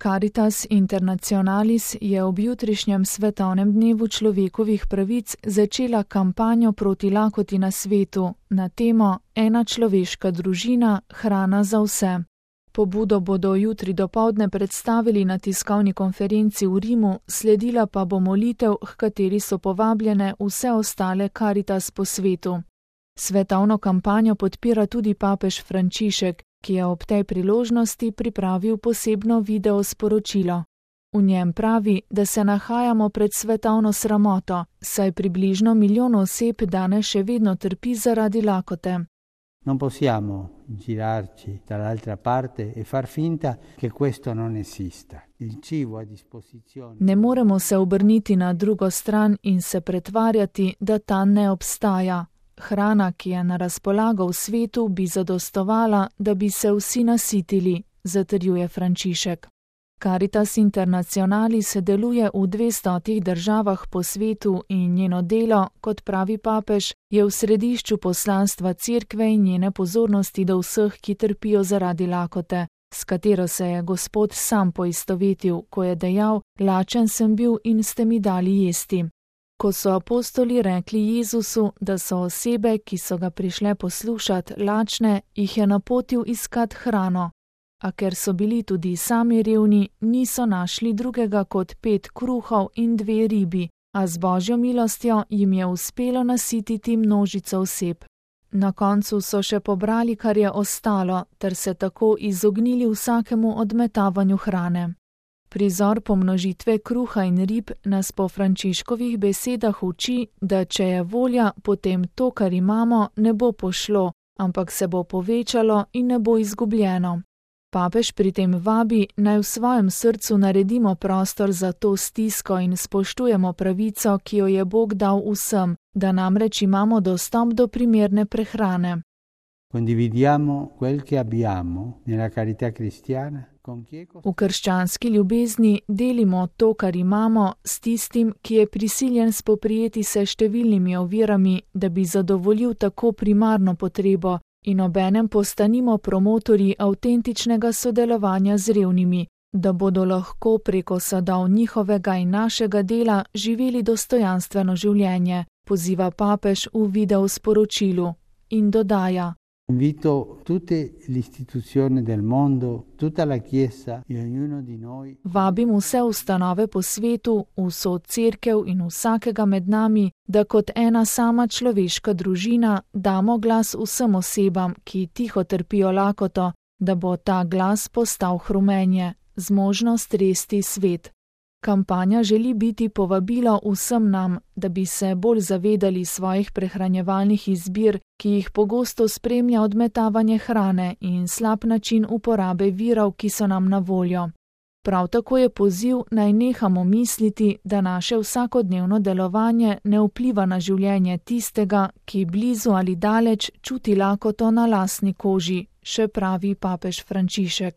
Caritas Internationalis je ob jutrišnjem svetovnem dnevu človekovih pravic začela kampanjo proti lakoti na svetu na temo Ena človeška družina, hrana za vse. Pobudo bodo jutri dopoldne predstavili na tiskovni konferenci v Rimu, sledila pa bo molitev, h kateri so povabljene vse ostale Caritas po svetu. Svetovno kampanjo podpira tudi papež Frančišek, ki je ob tej priložnosti pripravil posebno video sporočilo. V njem pravi, da se nahajamo pred svetovno sramoto, saj približno 1 milijon oseb danes še vedno trpi zaradi lakote. Non possiamo girarci dall'altra parte e far finta che questo non esista. Il cibo a disposizione. Ne moremo se obrniti na drugo stran in se pretvarjati, da ta ne obstaja. Hrana, ki je na razpolago v svetu, bi zadostovala, da bi se vsi nasitili, zatrjuje Frančišek. Caritas Internationalis deluje v 200 državah po svetu in njeno delo, kot pravi papež, je v središču poslanstva Cerkve in njene pozornosti do vseh, ki trpijo zaradi lakote, s katero se je Gospod sam poistovetil, ko je dejal: lačen sem bil in ste mi dali jesti. Ko so apostoli rekli Jezusu, da so osebe, ki so ga prišle poslušat, lačne, jih je napotil iskat hrano. A ker so bili tudi sami revni, niso našli drugega kot 5 kruhov in 2 ribi, a z Božjo milostjo jim je uspelo nasititi množico oseb. Na koncu so še pobrali, kar je ostalo, ter se tako izognili vsakemu odmetavanju hrane. Prizor pomnožitve kruha in rib nas po Frančiškovih besedah uči, da če je volja, potem to, kar imamo, ne bo pošlo, ampak se bo povečalo in ne bo izgubljeno. Papež pri tem vabi, naj v svojem srcu naredimo prostor za to stisko in spoštujemo pravico, ki jo je Bog dal vsem, da namreč imamo dostop do primerne prehrane. Condividiamo quel che abbiamo nella carità cristiana. V krščanski ljubezni delimo to, kar imamo, s tistim, ki je prisiljen spoprijeti se številnimi ovirami, da bi zadovoljil tako primarno potrebo, in obenem postanimo promotorji avtentičnega sodelovanja z revnimi, da bodo lahko preko sadov njihovega in našega dela živeli dostojanstveno življenje, poziva papež v video sporočilu in dodaja: Invito tutte le istituzioni del mondo, tutta la Chiesa e ognuno di noi. Vabim vse ustanove po svetu, vso cerkev in vsakega med nami, da kot ena sama človeška družina damo glas vsem osebam, ki tiho trpijo lakoto, da bo ta glas postal hrumenje, zmožnost resti svet. Kampanja želi biti povabilo vsem nam, da bi se bolj zavedali svojih prehranjevalnih izbir, ki jih pogosto spremlja odmetavanje hrane in slab način uporabe virov, ki so nam na voljo. Prav tako je poziv, naj nehamo misliti, da naše vsakodnevno delovanje ne vpliva na življenje tistega, ki blizu ali daleč čuti lakoto na lastni koži, še pravi papež Frančišek.